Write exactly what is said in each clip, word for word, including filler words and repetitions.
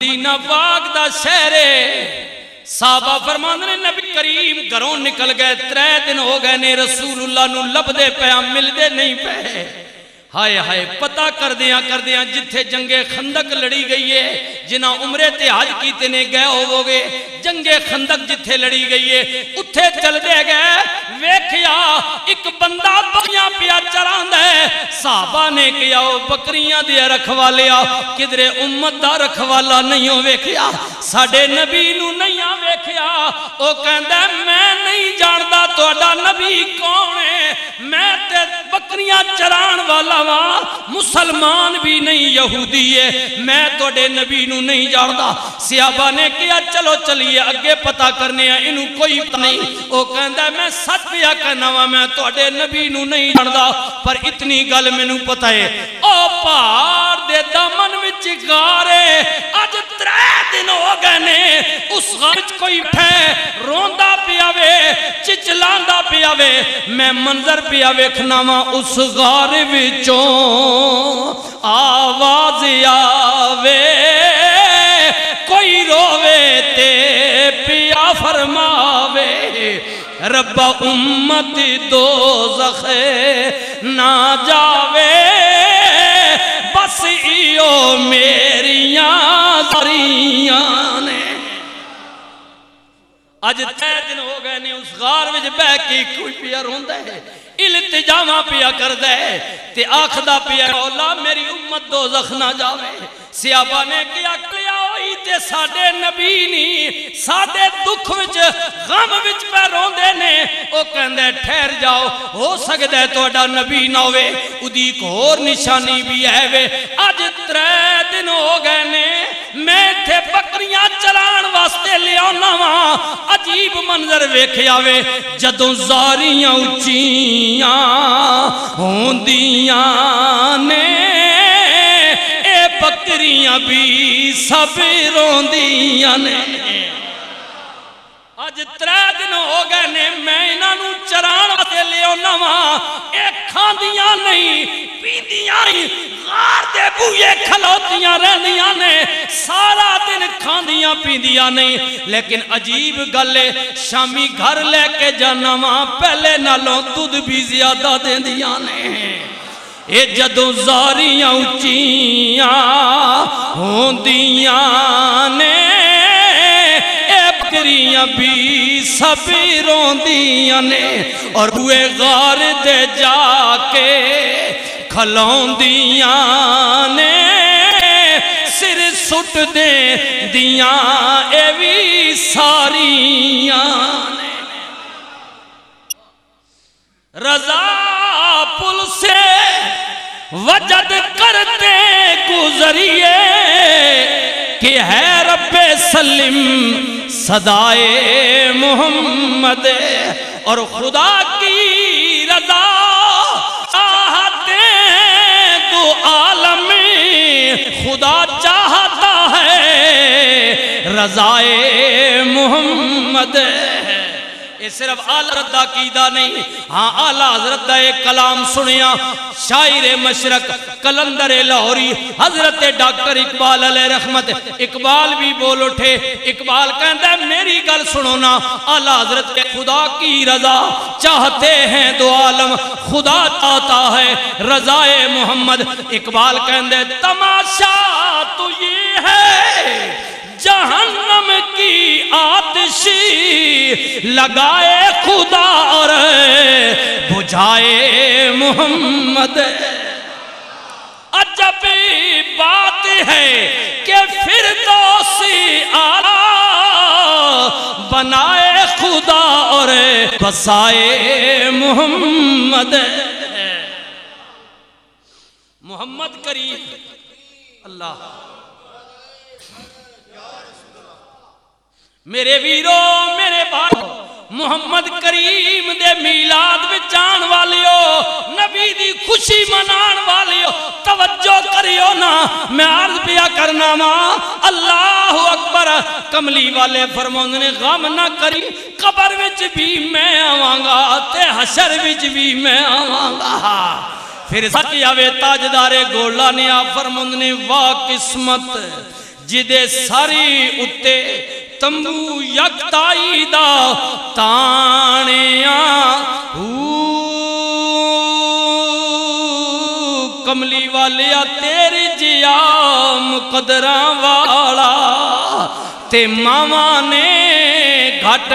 مدینہ پاک دا شہر ہے۔ صحابہ فرماندے نے، نبی کریم گھروں نکل گئے، ترے دن ہو گئے نے، رسول اللہ نو لبدے پئے آں، ملدے نہیں پئے۔ ہائے ہائے، پتہ کردیاں کردیاں جتھے جنگ خندق لڑی گئی ہے، جنہاں عمرے تے حج کیتے نے گئے ہوو گے، جنگ خندق جتھے لڑی گئی ہے، اتھے چل دے گئے۔ ویکھیا، اک بندہ بکریاں پیا چراندا ہے۔ صحابہ نے کہیا، "او بکریاں دے رکھوالیا، کدرے امت دا رکھوالا نہیں ہو ویکھیا، ساڈے نبی نو نہیں آ ویکھیا۔" او کہندا ہے، "میں نہیں جاندا تہاڈا نبی کون ہے، میں تے بکریاں چران والا واں، مسلمان بھی نہیں یہودی ہے، میں تہاڈے نبی نو نہیں جاندا۔" صحابہ نے کہیا، "چلو چلیے، اگے پتہ کرنے آ، اینوں کوئی پتہ نہیں۔" او کہندا ہے، "میں سچ پیا کہنا وا، میں تہاڈے نبی نو نہیں جاندا، پر اتنی گل مینوں پتہ ہے، او پہاڑ دے دامن وچ غار ہے، اج ترے دن ہو گئے نے، اس غار وچ کوئی بیٹھا ہے، روندا پیا وے، چچلاندا پیا وے، میں منظر پیا ویکھنا وا، اس غار وچوں آواز آوے، کوئی روے تے پیا فرماوے، ربا امت دوزخ نہ جاوے، بس ایو میریاں زریاں نے۔" اج ترے دن ہو گئے نے، اس غار وچ بہ کے کوئی پیا روندا ہے، التجاواں پیا کردا ہے، تے آکھدا پیا، "مولا، میری امت دوزخ نہ جاوے۔" صحابہ نے کہیا، "کلیا ہوئی تے ساڈے نبی نی، ساڈے دکھ وچ، غم وچ پہ روندے نے۔" او کہندا ہے، "ٹھہر جاؤ، ہو سکدا ہے تہاڈا نبی نہ ہووے۔" اودی ایک ہور نشانی بھی ہے وے، اج ترے دن ہو گئے نے، میں ایتھے بکریاں چران واسطے لیا واں۔ عجیب منظر ویکھیا وے، جدوں زاریاں اچیاں ہوندیاں نے، اے بکریاں بھی سب روندیاں نے۔ اج ترے دن ہو گئے نے، میں انہاں نوں چران واسطے لے آنا واں، اے کھاندیاں نہیں، پیندیاں نہیں، غار دے بوئے کھلوتیاں رہندیاں نے، سارا دن کھاندیاں پیندیاں نہیں۔ لیکن عجیب گل ہے، شامی گھر لے کے جانا واں، پہلے نالوں دودھ بھی زیادہ دیندیاں نے۔ اے جدوں زاریاں اچیاں ہوندیاں نے، اے بکریاں بھی سب روندیاں نے، اور بوئے غار دے جا کے کھلوندیاں نے، سر سٹ دیندیاں اے وی ساریاں نے۔ رضا پل سے وجد کرتے گزریے کہ ہے رب سلم صدائے محمد، اور خدا کی رضا چاہتے دو عالم، خدا چاہتا ہے رضائے محمد۔ اے صرف اعلی حضرت دا عقیدہ نہیں، ہاں، اعلی حضرت دا ایک کلام سنیا، شاعر مشرق قلندر لاہوری حضرت ڈاکٹر اقبال علیہ رحمت، اقبال بھی بول اٹھے۔ اقبال کہندا ہے، "میری گل سنو نا، اعلی حضرت کے خدا کی رضا چاہتے ہیں دو عالم، خدا چاہتا ہے رضائے محمد۔" اقبال کہندا ہے، تماشا تو یہ ہے، جہنم کی آتشی لگائے خدا اور بجھائے محمد۔ عجب بات ہے کہ فردوسی اعلیٰ بنائے خدا اور بسائے محمد۔ محمد کریم، اللہ، میرے ویرو، میرے بھائیو، محمد کریم دے میلاد وچ آن والیو، نبی دی خوشی منان والیو، توجہ کریو نا، میں عرض پیا کرنا وا، اللہ اکبر۔ کملی والے فرماندے نے، غم نہ کری، قبر وچ بھی میں آواں گا تے حشر وچ بھی میں آواں گا۔ پھر سچ آوے تاجدار گولا نے، آپ فرماندے نے، واہ قسمت، جدے ساری اُتے تمبو یکتائی دا تانیا۔ او کملی والیا، تیرے جیا مقدراں والا تے ماواں نے گھٹ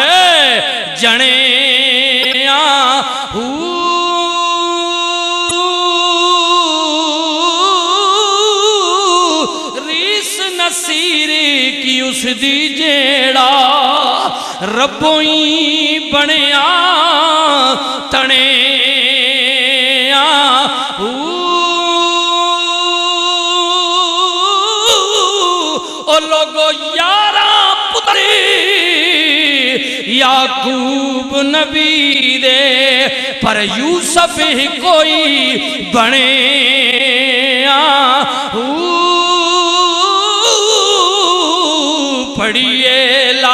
جنے آ۔ او ریس نصیر کی اس دی، جیڑا ربوئی بنیا تنے آ۔ او او لوگو، یاراں پتری یعقوب نبی دے، پر یوسف ہی کوئی بنے آ۔ او پڑھیے لا